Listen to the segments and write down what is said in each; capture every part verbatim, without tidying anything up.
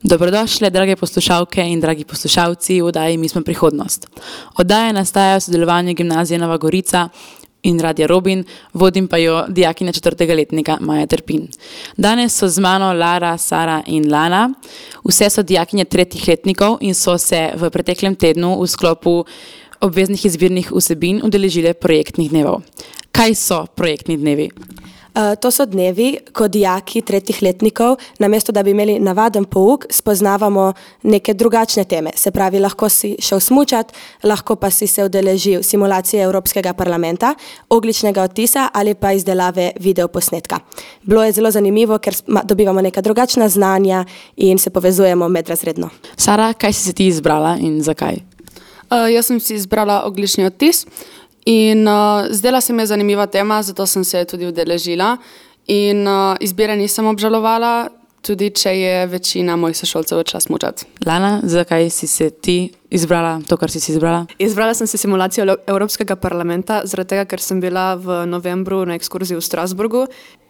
Dobrodošli, drage poslušalke in dragi poslušalci v oddaji Mi smo prihodnost. Oddaja nastaja v sodelovanju Gimnazije Nova Gorica in Radia Robin, vodim pa jo dijakinja četrtega letnika Maja Trpin. Danes so z mano Lara, Sara in Lana. Vse so dijakinje tretjih letnikov in so se v preteklem tednu v sklopu obveznih izbirnih vsebin udeležile projektnih dnevov. Kaj so projektni dnevi? Uh, to so dnevi, ko dijaki tretjih letnikov, namesto da bi imeli navaden pouk, spoznavamo neke drugačne teme. Se pravi, lahko si šel smučat, lahko pa si se udeležil simulacije Evropskega parlamenta, ogljičnega odtisa ali pa izdelave videoposnetka. Bilo je zelo zanimivo, ker dobivamo neka drugačna znanja in se povezujemo medrazredno. Sara, kaj si se ti izbrala in zakaj? Uh, jaz sem si izbrala ogljični odtis. In uh, zdela se mi je zanimiva tema, zato sem se tudi udeležila in uh, izbire nisem obžalovala, tudi če je večina mojih sošolcev odšla smučat. Lana, zakaj si se ti izbrala to, kar si si izbrala? Izbrala sem se simulacijo Evropskega parlamenta, zaradi tega, ker sem bila v novembru na ekskurziji v Strasburgu,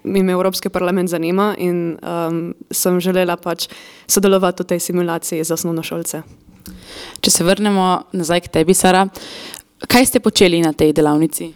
mi me Evropski parlament zanima in um, sem želela pač sodelovati v tej simulaciji za osnovnošolce. Če se vrnemo nazaj k tebi, Sara, kaj ste počeli na tej delavnici?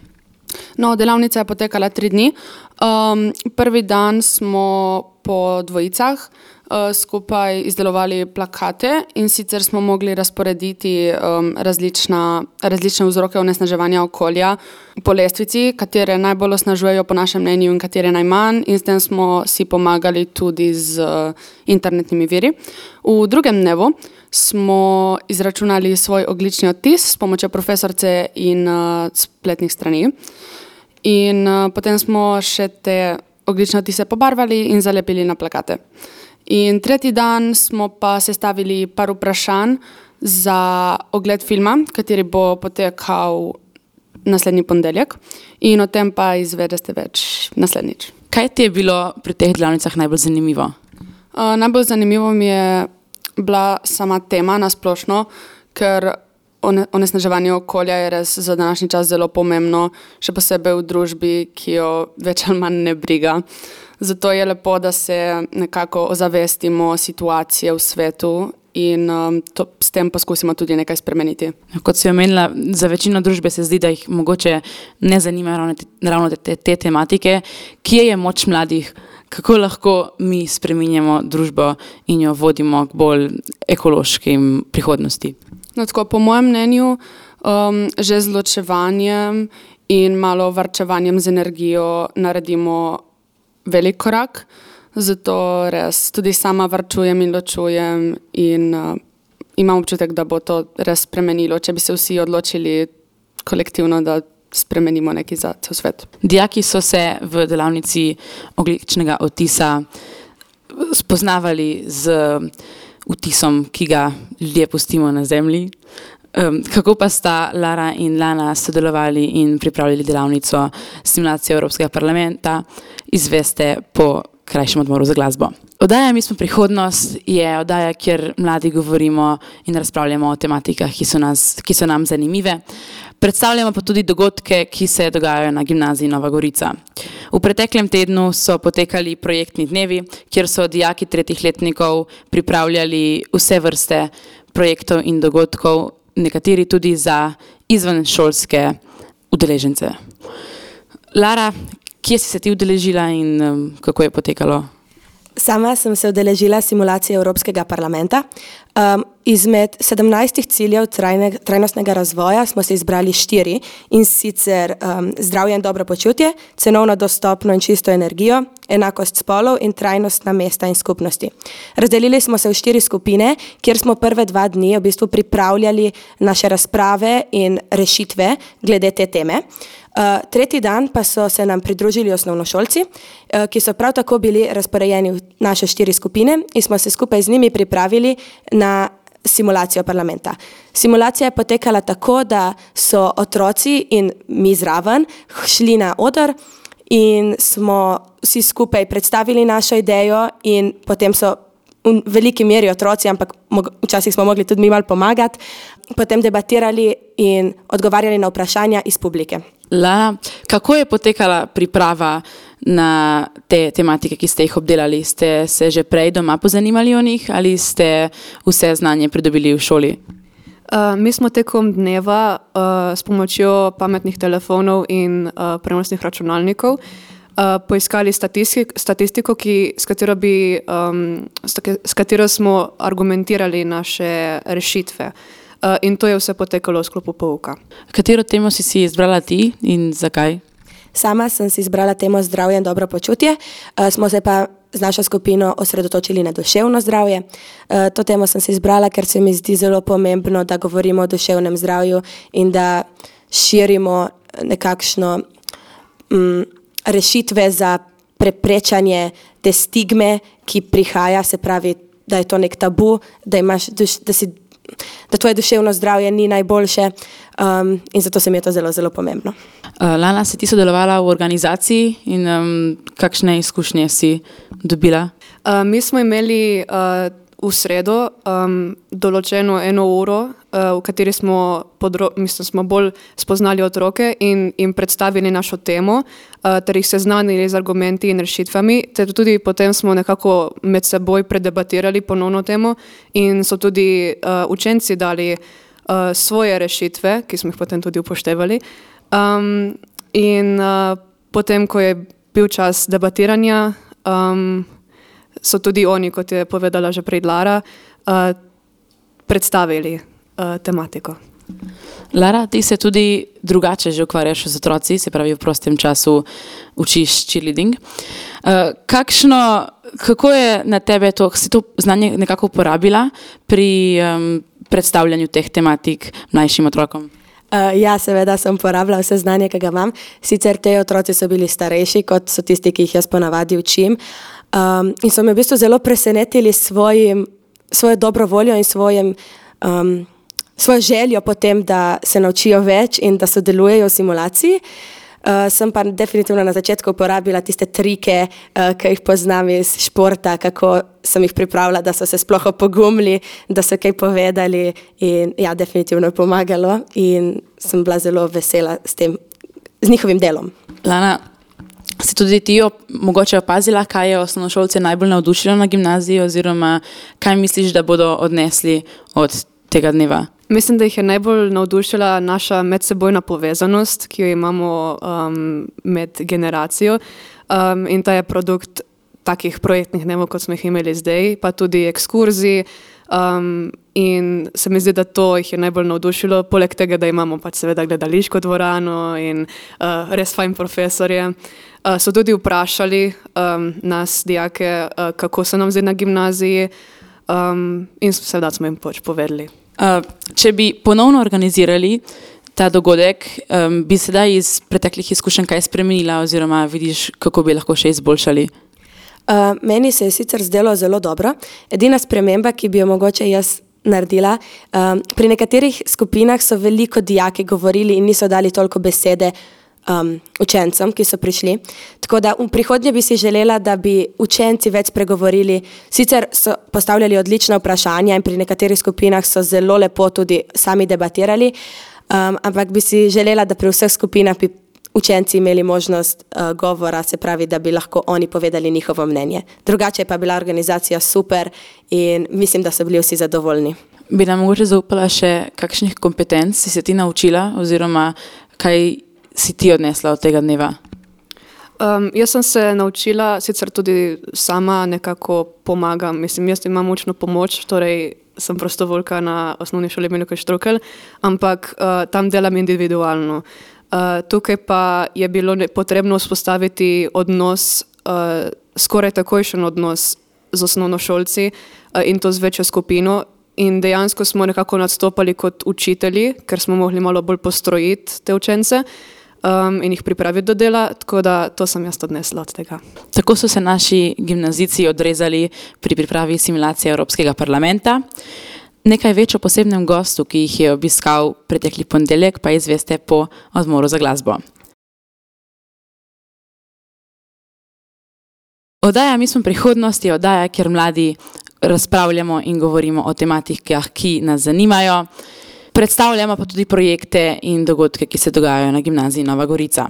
No, delavnica je potekala tri dni. Um, prvi dan smo po dvojicah uh, skupaj izdelovali plakate in sicer smo mogli razporediti um, različna, različne vzroke onesnaževanja okolja po lestvici, katere najbolj osnažujejo po našem mnenju in katere najmanj, in s tem smo si pomagali tudi z uh, internetnimi viri. V drugem dnevu smo izračunali svoj ogljični odtis s pomočjo profesorce in uh, spletnih strani. In uh, potem smo še te ogljične odtise pobarvali in zalepili na plakate. In tretji dan smo pa sestavili par vprašanj za ogled filma, kateri bo potekal naslednji ponedeljek, in o tem pa izvedeste več naslednjič. Kaj ti je bilo pri teh delavnicah najbolj zanimivo? Uh, najbolj zanimivo mi je bila sama tema nasplošno, ker onesnaževanje okolja je res za današnji čas zelo pomembno, še posebej v družbi, ki jo več ali manj ne briga. Zato je lepo, da se nekako ozavestimo situacije v svetu in um, to, s tem poskusimo tudi nekaj spremeniti. Kot si omenila, za večino družbe se zdi, da jih mogoče ne zanima ravno te, ravno te, te tematike. Kje je moč mladih? Kako lahko mi spreminjamo družbo in jo vodimo k bolj ekološkim prihodnosti? No, tako, po mojem mnenju, um, že z ločevanjem in malo varčevanjem z energijo naredimo velik korak. Zato res tudi sama varčujem in ločujem in uh, imam občutek, da bo to res spremenilo, če bi se vsi odločili kolektivno, da spremenimo nekaj za cel svet. Dijaki so se v delavnici ogljičnega odtisa spoznavali z vtisom, ki ga ljudje pustimo na zemlji. Um, kako pa sta Lara in Lana sodelovali in pripravili delavnico simulacije Evropskega parlamenta, izveste po krajšem odmoru za glasbo. Oddaja Mi smo prihodnost je oddaja, kjer mladi govorimo in razpravljamo o tematikah, ki so, nas, ki so nam zanimive. Predstavljamo pa tudi dogodke, ki se dogajajo na Gimnaziji Nova Gorica. V preteklem tednu so potekali projektni dnevi, kjer so dijaki tretjih letnikov pripravljali vse vrste projektov in dogodkov, nekateri tudi za izvenšolske udeležence. Lara, kje si se ti udeležila in um, kako je potekalo? Sama sem se udeležila simulacije Evropskega parlamenta. Um, izmed sedemnajstih ciljev trajne, trajnostnega razvoja smo se izbrali štiri, in sicer um, zdravje in dobro počutje, cenovno dostopno in čisto energijo, enakost spolov in trajnostna mesta in skupnosti. Razdelili smo se v štiri skupine, kjer smo prve dva dni v bistvu pripravljali naše razprave in rešitve glede te teme. Uh, tretji dan pa so se nam pridružili osnovnošolci, uh, ki so prav tako bili razporejeni v naše štiri skupine in smo se skupaj z njimi pripravili na simulacijo parlamenta. Simulacija je potekala tako, da so otroci in mi zraven šli na oder in smo vsi skupaj predstavili našo idejo in potem so v veliki meri otroci, ampak včasih smo mogli tudi mi malo pomagati, potem debatirali in odgovarjali na vprašanja iz publike. Lana, kako je potekala priprava na te tematike, ki ste jih obdelali? Ste se že prej doma pozanimali o njih ali ste vse znanje pridobili v šoli? Uh, mi smo tekom dneva uh, s pomočjo pametnih telefonov in uh, prenosnih računalnikov uh, poiskali statistiko, statistiko ki, s, katero bi, um, s katero smo argumentirali naše rešitve. Uh, in to je vse potekalo v sklopu pouka. Katero temo si si izbrala ti in zakaj? Sama sem si izbrala temo zdravje in dobro počutje, uh, smo se pa z našo skupino osredotočili na duševno zdravje. Uh, to temo sem si izbrala, ker se mi zdi zelo pomembno, da govorimo o duševnem zdravju in da širimo nekakšno um, rešitve za preprečanje te stigme, ki prihaja, se pravi, da je to nek tabu, da imaš, da si da tvoje duševno zdravje ni najboljše um, in zato se mi je to zelo, zelo pomembno. Uh, Lana, si ti sodelovala v organizaciji in um, kakšne izkušnje si dobila? Uh, mi smo imeli uh, v sredo um, določeno eno uro, uh, v kateri smo, podro- mislim, smo bolj spoznali otroke in jim predstavili našo temo, uh, ter jih seznanili z argumenti in rešitvami, ter tudi potem smo nekako med seboj predebatirali ponovno temo in so tudi uh, učenci dali uh, svoje rešitve, ki smo jih potem tudi upoštevali. Um, in uh, potem, ko je bil čas debatiranja, um, so tudi oni, kot je povedala že prej Lara, uh, predstavili uh, tematiko. Lara, ti se tudi drugače že ukvarjaš z otroci, se pravi v prostem času učiš cheerleading. Uh, kakšno, kako je na tebe to, si to znanje nekako uporabila pri um, predstavljanju teh tematik mlajšim otrokom? Uh, ja, seveda sem uporabila vse znanje, ki ga imam. Sicer te otroci so bili starejši, kot so tisti, ki jih jaz ponavadi učim. Um, in so me v bistvu zelo presenetili svojim, svojo dobro voljo in svojim, um, svojo željo potem, da se naučijo več in da sodelujejo v simulaciji. Uh, sem pa definitivno na začetku uporabila tiste trike, uh, ki jih poznam iz športa, kako sem jih pripravila, da so se sploh opogumili, da so kaj povedali in ja, definitivno je pomagalo in sem bila zelo vesela s tem, z njihovim delom. Lana, si tudi ti mogoče opazila, kaj je osnovnošolce najbolj navdušilo na gimnaziji oziroma kaj misliš, da bodo odnesli od tega dneva? Mislim, da jih je najbolj navdušila naša medsebojna povezanost, ki jo imamo um, med generacijo um, in ta je produkt takih projektnih dnevov, kot smo jih imeli zdaj, pa tudi ekskurzij um, in se mi zdi, da to jih je najbolj navdušilo, poleg tega, da imamo pač seveda gledališko dvorano in uh, res fajn profesorje. Uh, so tudi vprašali um, nas, dijake, uh, kako se nam zdi na gimnaziji um, in seveda smo jim pač povedali. Uh, če bi ponovno organizirali ta dogodek, um, bi sedaj iz preteklih izkušenj kaj spremenila oziroma vidiš, kako bi lahko še izboljšali? Uh, meni se je sicer zdelo zelo dobro. Edina sprememba, ki bi jo mogoče jaz naredila, um, pri nekaterih skupinah so veliko dijaki govorili in niso dali toliko besede um, učencem, ki so prišli. Tako da v prihodnje bi si želela, da bi učenci več spregovorili. Sicer so postavljali odlična vprašanja in pri nekaterih skupinah so zelo lepo tudi sami debatirali, um, ampak bi si želela, da pri vseh skupinah bi učenci imeli možnost uh, govora, se pravi, da bi lahko oni povedali njihovo mnenje. Drugače pa je bila organizacija super in mislim, da so bili vsi zadovoljni. Bi nam mogoče zaupala še, kakšnih kompetenc si se ti naučila oziroma kaj si ti odnesla od tega dneva? Um, jaz sem se naučila, sicer tudi sama nekako pomagam, mislim, jaz imam učno pomoč, torej sem prostovoljka na osnovni šoli Milojka Štrukelj, ampak uh, tam delam individualno. Uh, tukaj pa je bilo ne, potrebno vzpostaviti odnos, uh, skoraj takojšen odnos z osnovnošolci uh, in to z večjo skupino in dejansko smo nekako nastopali kot učitelji, ker smo mogli malo bolj postrojiti te učence um, in jih pripraviti do dela, tako da to sem jaz odnesla od tega. Tako so se naši gimnazijci odrezali pri pripravi simulacije Evropskega parlamenta. Nekaj več o posebnem gostu, ki jih je obiskal pretekli ponedeljek, pa izveste po odmoru za glasbo. Oddaja Mi smo prihodnost je oddaja, kjer mladi razpravljamo in govorimo o tematikah, ki nas zanimajo. Predstavljamo pa tudi projekte in dogodke, ki se dogajajo na gimnaziji Nova Gorica.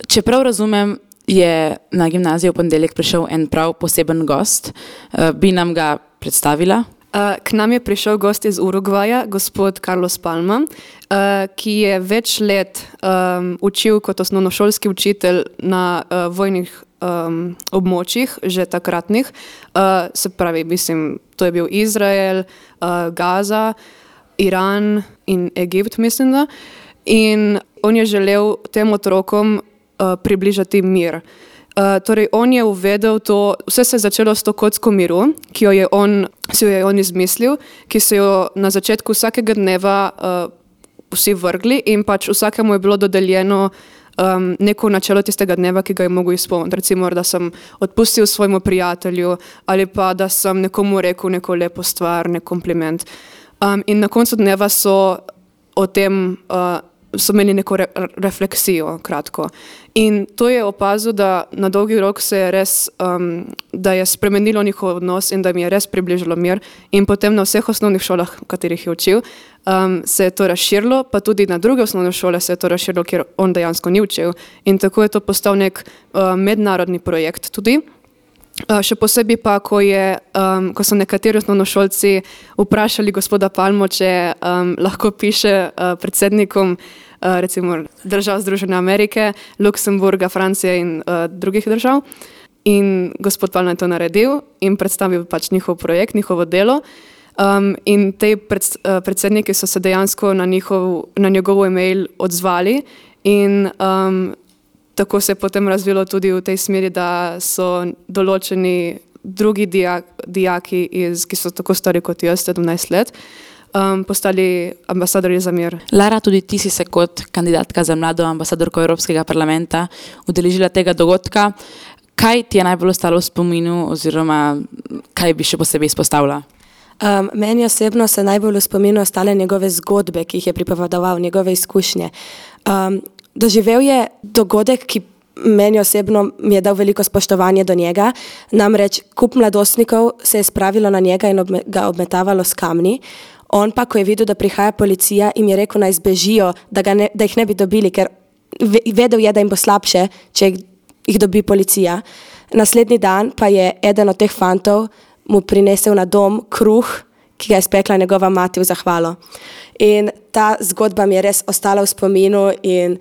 Če prav razumem, je na gimnaziji v ponedeljek prišel en prav poseben gost. Bi nam ga predstavila? K nam je prišel gost iz Urugvaja, gospod Carlos Palma, ki je več let um, učil kot osnovnošolski učitelj na uh, vojnih um, območjih, že takratnih. Uh, se pravi, mislim, to je bil Izrael, uh, Gaza, Iran in Egipt, mislim da. In on je želel tem otrokom uh, približati mir. Uh, torej, on je uvedel to, vse se je začelo s to kocko miru, ki jo je on, si jo je on izmislil, ki so jo na začetku vsakega dneva uh, vsi vrgli in pač vsakemu je bilo dodeljeno um, neko načelo tistega dneva, ki ga je mogel izpolniti. Recimo, da sem odpustil svojemu prijatelju ali pa da sem nekomu rekel neko lepo stvar, nek kompliment. Um, in na koncu dneva so o tem uh, so imeli neko re, refleksijo, kratko. In to je opazil, da na dolgi rok se je res, um, da je spremenilo njihov odnos in da mi je res približalo mir. In potem na vseh osnovnih šolah, v katerih je učil, um, se je to razširilo, pa tudi na druge osnovne šole se je to razširilo, kjer on dejansko ni učil. In tako je to postal nek uh, mednarodni projekt tudi. Uh, še posebej pa, ko, je, um, ko so nekateri osnovnošolci vprašali gospoda Palmo, če um, lahko piše uh, predsednikom uh, recimo držav Združene Amerike, Luksemburga, Francije in uh, drugih držav. In gospod Palma je to naredil in predstavil pač njihov projekt, njihovo delo. Um, in te pred, uh, predsedniki so se dejansko na, njihov, na njegov e-mail odzvali in um, tako se je potem razvilo tudi v tej smeri, da so določeni drugi dijak, dijaki, iz, ki so tako stari kot jaz, sedemnajst let, um, postali ambasadorji za mir. Lara, tudi ti si se kot kandidatka za mlado ambasadorko Evropskega parlamenta udeležila tega dogodka. Kaj ti je najbolj ostalo v spominu oziroma kaj bi še posebej izpostavila? Um, meni osebno se najbolj v spominu ostale njegove zgodbe, ki jih je pripovedoval, njegove izkušnje. Um, Doživel je dogodek, ki meni osebno mi je dal veliko spoštovanje do njega, namreč kup mladostnikov se je spravilo na njega in obme, ga obmetavalo s kamni. On pa, ko je videl, da prihaja policija, jim je rekel, naj zbežijo, da, ga ne, da jih ne bi dobili, ker vedel je, da jim bo slabše, če jih dobi policija. Naslednji dan pa je eden od teh fantov mu prinesel na dom kruh, ki ga je spekla njegova mati v zahvalo. In ta zgodba mi je res ostala v spominu in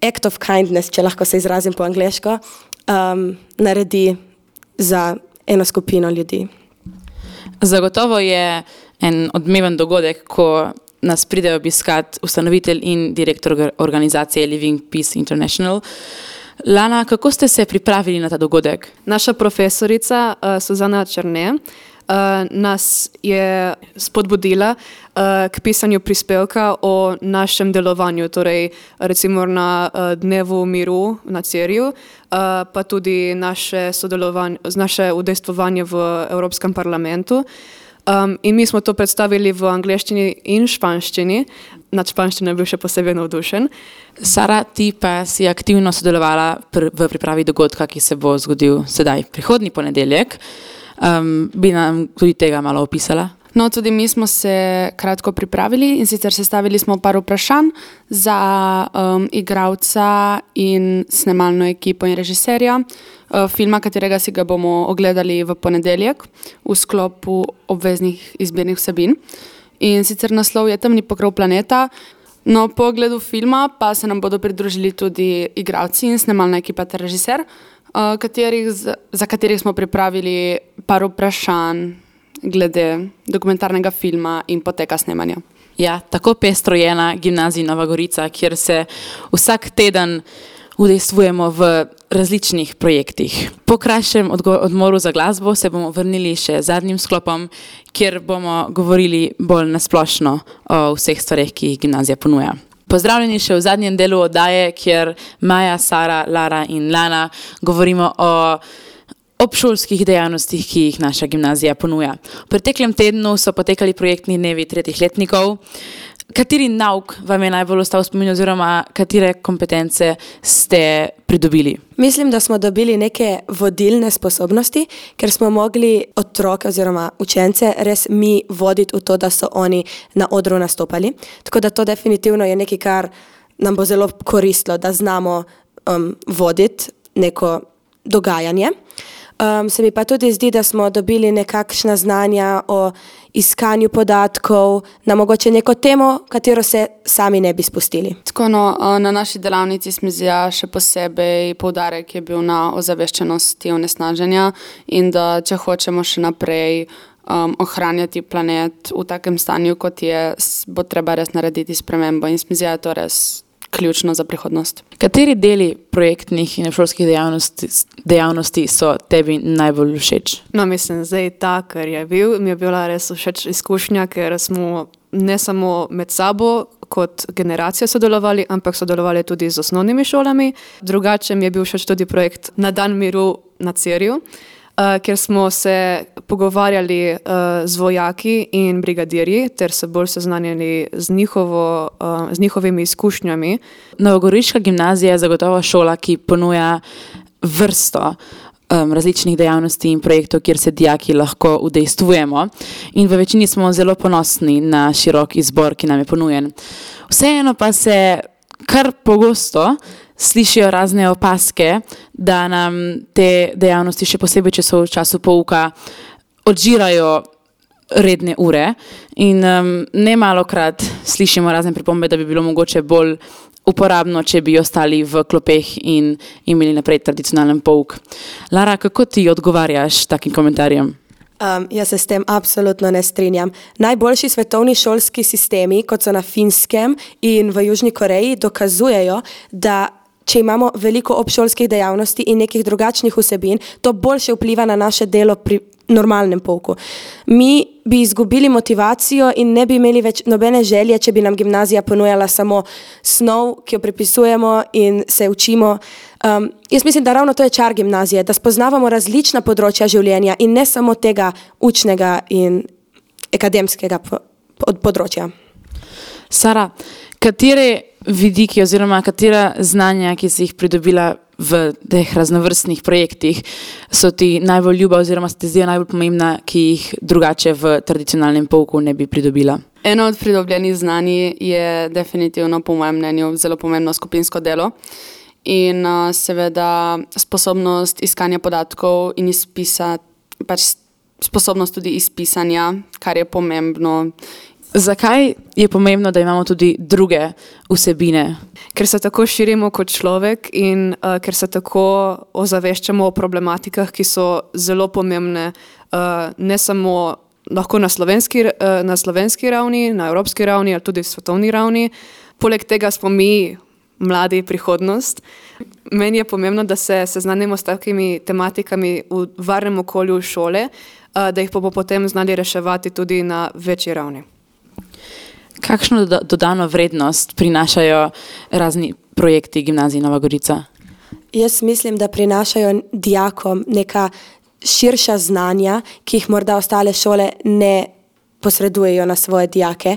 act of kindness, če lahko se izrazim po angleško, um, naredi za eno skupino ljudi. Zagotovo je en odmeven dogodek, ko nas pride obiskat ustanovitelj in direktor organizacije Living Peace International. Lana, kako ste se pripravili na ta dogodek? Naša profesorica uh, Suzana Černe uh, nas je spodbudila uh, k pisanju prispevka o našem delovanju, torej recimo na uh, Dnevu miru na Cerju, uh, pa tudi naše sodelovanje, naše udejstvovanje v Evropskem parlamentu. Um, in mi smo to predstavili v angleščini in španščini. Nad španščino je bil še posebej navdušen. Sara, ti pa si aktivno sodelovala pr- v pripravi dogodka, ki se bo zgodil sedaj prihodnji ponedeljek. Um, bi nam tudi tega malo opisala? No, tudi mi smo se kratko pripravili in sicer sestavili smo par vprašanj za um, igralca in snemalno ekipo in režiserja uh, filma, katerega si ga bomo ogledali v ponedeljek v sklopu obveznih izbirnih vsebin. In sicer naslov je Temni pokrov planeta. No, po ogledu filma pa se nam bodo pridružili tudi igralci in snemalna ekipa ter režiser, uh, katerih, za katerih smo pripravili par vprašanj glede dokumentarnega filma in poteka snemanja. Ja, tako pestro je na gimnaziji Nova Gorica, kjer se vsak teden udejstvujemo v različnih projektih. Po krajšem odmoru za glasbo se bomo vrnili še zadnjim sklopom, kjer bomo govorili bolj nasplošno o vseh stvareh, ki jih gimnazija ponuja. Pozdravljeni še v zadnjem delu oddaje, kjer Maja, Sara, Lara in Lana govorimo o obšolskih dejavnostih, ki jih naša gimnazija ponuja. V preteklem tednu so potekali projektni dnevi tretjih letnikov. Kateri nauk vam je najbolj ostal v spominu oziroma katere kompetence ste pridobili? Mislim, da smo dobili neke vodilne sposobnosti, ker smo mogli otroke oziroma učence res mi voditi v to, da so oni na odru nastopali. Tako da to definitivno je nekaj, kar nam bo zelo koristilo, da znamo um, voditi neko dogajanje. Um, se mi pa tudi zdi, da smo dobili nekakšna znanja o iskanju podatkov na mogoče neko temo, katero se sami ne bi spustili. Tako, no, na naši delavnici smo zdaj še posebej poudarek je bil na ozaveščenosti onesnaženja in da če hočemo še naprej um, ohranjati planet v takem stanju, kot je, bo treba res narediti spremembo in smo zdaj to res ključno za prihodnost. Kateri deli projektnih in šolskih dejavnosti, dejavnosti so tebi najbolj všeč? No, mislim, zdaj ta, ker je bil, mi je bila res všeč izkušnja, ker smo ne samo med sabo kot generacija sodelovali, ampak sodelovali tudi z osnovnimi šolami. Drugače mi je bil všeč tudi projekt Na dan miru na Cerju, Uh, ker smo se pogovarjali uh, z vojaki in brigadirji, ter se bolj seznanjali z, njihovo, uh, z njihovimi izkušnjami. Novogoriška gimnazija je zagotovo šola, ki ponuja vrsto um, različnih dejavnosti in projektov, kjer se dijaki lahko udejstvujemo. In v večini smo zelo ponosni na širok izbor, ki nam je ponujen. Vseeno pa se kar pogosto slišijo razne opaske, da nam te dejavnosti, še posebej, če so v času pouka, odžirajo redne ure in um, ne malokrat slišimo razne pripombe, da bi bilo mogoče bolj uporabno, če bi ostali v klopeh in imeli naprej tradicionalen pouk. Lara, kako ti odgovarjaš takim komentarjem? Um, jaz se s tem absolutno ne strinjam. Najboljši svetovni šolski sistemi, kot so na Finskem in v Južni Koreji, dokazujejo, da če imamo veliko obšolskih dejavnosti in nekih drugačnih vsebin, to boljše vpliva na naše delo pri normalnem pouku. Mi bi izgubili motivacijo in ne bi imeli več nobene želje, če bi nam gimnazija ponujala samo snov, ki jo prepisujemo in se učimo. Um, jaz mislim, da ravno to je čar gimnazije, da spoznavamo različna področja življenja in ne samo tega učnega in akademskega področja. Sara, katere vidiki oziroma katera znanja, ki si jih pridobila v teh raznovrstnih projektih, so ti najbolj ljuba oziroma se ti zdijo najbolj pomembna, ki jih drugače v tradicionalnem pouku ne bi pridobila? Eno od pridobljenih znanj je definitivno, po mojem mnenju, zelo pomembno skupinsko delo in uh, seveda sposobnost iskanja podatkov in izpisa, pač sposobnost tudi izpisanja, kar je pomembno. Zakaj je pomembno, da imamo tudi druge vsebine? Ker se tako širimo kot človek in uh, ker se tako ozaveščamo o problematikah, ki so zelo pomembne uh, ne samo lahko na slovenski, uh, na slovenski ravni, na evropski ravni ali tudi svetovni ravni. Poleg tega smo mi mladi prihodnost. Meni je pomembno, da se seznanimo s takimi tematikami v varnem okolju šole, uh, da jih bomo potem znali reševati tudi na večji ravni. Kakšno dodano vrednost prinašajo razni projekti Gimnazije Nova Gorica? Jaz mislim, da prinašajo dijakom neka širša znanja, ki jih morda ostale šole ne posredujejo na svoje dijake.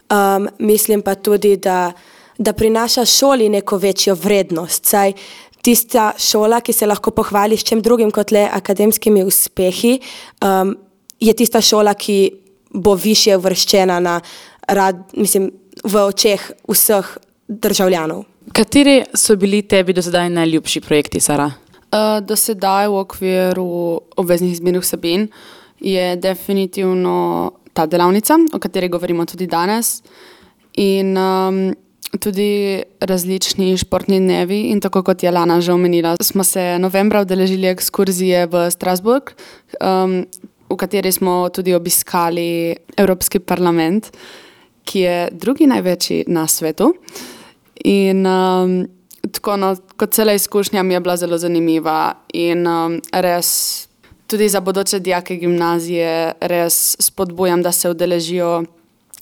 Um, mislim pa tudi, da, da prinaša šoli neko večjo vrednost. Saj tista šola, ki se lahko pohvali s čem drugim kot le akademskimi uspehi, um, je tista šola, ki bo višje uvrščena na rad, mislim, v očeh vseh državljanov. Kateri so bili tebi do sedaj najljubši projekti, Sara? Uh, do sedaj v okviru obveznih izbirnih vsebin je definitivno ta delavnica, o kateri govorimo tudi danes, in um, tudi različni športni dnevi in tako kot je Lana že omenila, smo se novembra udeležili ekskurzije v Strasbourg, um, v kateri smo tudi obiskali Evropski parlament, ki je drugi največji na svetu. In um, tako, no, kot cela izkušnja mi je bila zelo zanimiva in um, res tudi za bodoče dijake gimnazije res spodbujam, da se udeležijo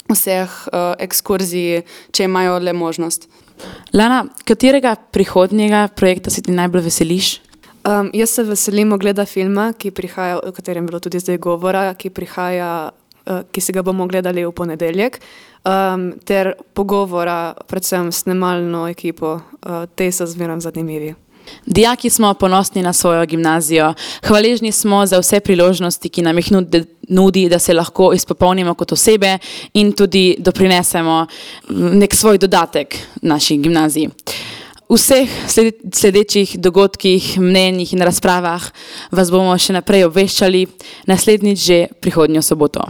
vseh uh, ekskurzij, če imajo le možnost. Lana, katerega prihodnjega projekta si ti najbolj veseliš? Um, jaz se veselim ogleda filma, ki prihaja, o katerem je bilo tudi zdaj govora, ki prihaja uh, ki si ga bomo gledali v ponedeljek, um, ter pogovora predvsem s snemalno ekipo. Uh, te so zmeraj zanimivi. Dijaki smo ponosni na svojo gimnazijo. Hvaležni smo za vse priložnosti, ki nam jih nudi, da se lahko izpopolnimo kot osebe in tudi doprinesemo nek svoj dodatek naši gimnaziji. V vseh sledečih dogodkih, mnenjih in razpravah vas bomo še naprej obveščali, naslednjič že prihodnjo soboto.